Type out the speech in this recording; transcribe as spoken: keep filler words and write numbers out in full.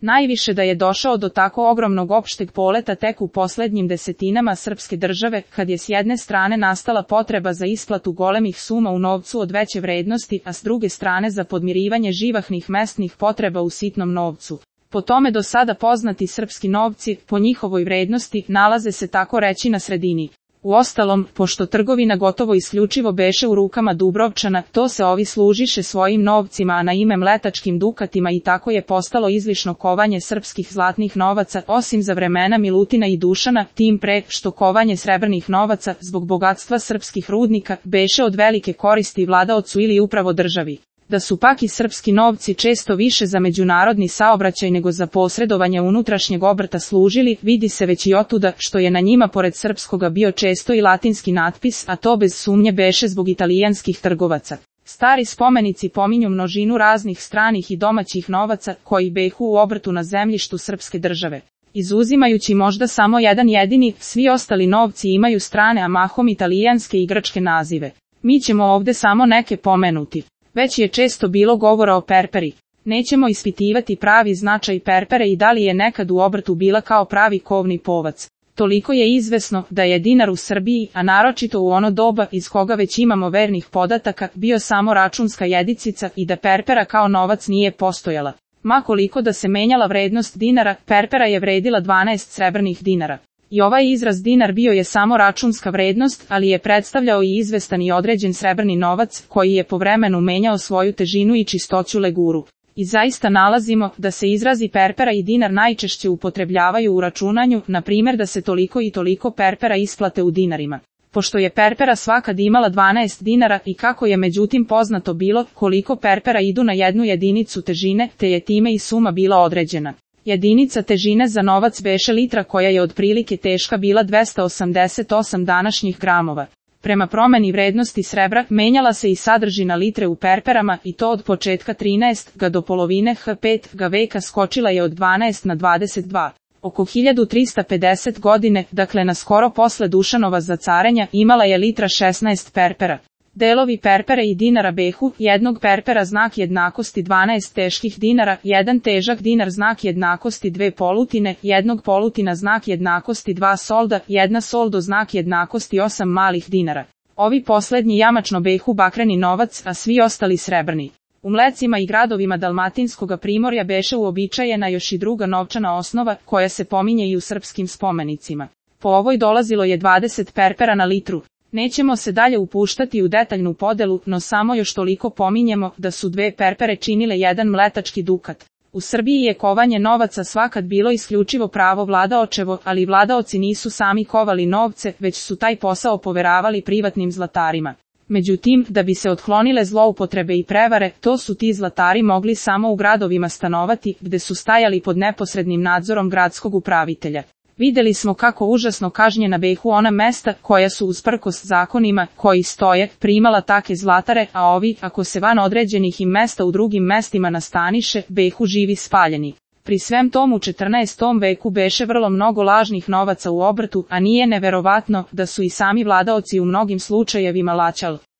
Najviše da je došao do tako ogromnog opšteg poleta tek u poslednjim desetinama srpske države, kad je s jedne strane nastala potreba za isplatu golemih suma u novcu od veće vrednosti, a s druge strane za podmirivanje živahnih mesnih potreba u sitnom novcu. Po tome do sada poznati srpski novci, po njihovoj vrednosti, nalaze se tako reći na sredini. Uostalom, pošto trgovina gotovo isključivo beše u rukama Dubrovčana, to se ovi služiše svojim novcima, a na ime mletačkim dukatima, i tako je postalo izlišno kovanje srpskih zlatnih novaca, osim za vremena Milutina i Dušana, tim pre što kovanje srebrnih novaca, zbog bogatstva srpskih rudnika, beše od velike koristi vladaocu ili upravo državi. Da su pak i srpski novci često više za međunarodni saobraćaj nego za posredovanje unutrašnjeg obrta služili, vidi se već i otuda što je na njima pored srpskoga bio često i latinski natpis, a to bez sumnje beše zbog italijanskih trgovaca. Stari spomenici pominju množinu raznih stranih i domaćih novaca koji behu u obrtu na zemljištu srpske države. Izuzimajući možda samo jedan jedini, svi ostali novci imaju strane, a mahom italijanske i grčke nazive. Mi ćemo ovde samo neke pomenuti. Već je često bilo govora o perperi. Nećemo ispitivati pravi značaj perpere i da li je nekad u obrtu bila kao pravi kovni povac. Toliko je izvesno da je dinar u Srbiji, a naročito u ono doba iz koga već imamo vernih podataka, bio samo računska jedicica i da perpera kao novac nije postojala. Ma koliko da se menjala vrednost dinara, perpera je vredila dvanaest srebrnih dinara. I ovaj izraz dinar bio je samo računska vrednost, ali je predstavljao i izvestan i određen srebrni novac, koji je po vremenu menjao svoju težinu i čistoću leguru. I zaista nalazimo da se izrazi perpera i dinar najčešće upotrebljavaju u računanju, na primjer da se toliko i toliko perpera isplate u dinarima. Pošto je perpera svakad imala dvanaest dinara i kako je međutim poznato bilo koliko perpera idu na jednu jedinicu težine, te je time i suma bila određena. Jedinica težine za novac beše litra, koja je otprilike teška bila dvesta osamdeset osam današnjih gramova. Prema promeni vrednosti srebra, menjala se i sadržina litre u perperama, i to od početka trinaestog do polovine H petog veka skočila je od dvanaest na dvadeset dva. Oko hiljadu trista pedeset godine, dakle na skoro posle Dušanova zacarenja, imala je litra šesnaest perpera. Delovi perpere i dinara behu, jednog perpera znak jednakosti dvanaest teških dinara, jedan težak dinar znak jednakosti dve polutine, jednog polutina znak jednakosti dva solda, jedna soldo znak jednakosti osam malih dinara. Ovi poslednji jamačno behu bakreni novac, a svi ostali srebrni. U mlecima i gradovima Dalmatinskoga primorja beše uobičajena još i druga novčana osnova, koja se pominje i u srpskim spomenicima. Po ovoj dolazilo je dvadeset perpera na litru. Nećemo se dalje upuštati u detaljnu podelu, no samo još toliko pominjemo da su dve perpere činile jedan mletački dukat. U Srbiji je kovanje novaca svakad bilo isključivo pravo vladaočevo, ali vladaoci nisu sami kovali novce, već su taj posao poveravali privatnim zlatarima. Međutim, da bi se otklonile zloupotrebe i prevare, to su ti zlatari mogli samo u gradovima stanovati, gde su stajali pod neposrednim nadzorom gradskog upravitelja. Videli smo kako užasno kažnjena behu ona mesta koja su usprkos zakonima koji stoje primala take zlatare, a ovi, ako se van određenih im mesta u drugim mestima nastaniše, behu živi spaljeni. Pri svem tomu u četrnaestom veku beše vrlo mnogo lažnih novaca u obrtu, a nije neverovatno da su i sami vladaoci u mnogim slučajevima laćali.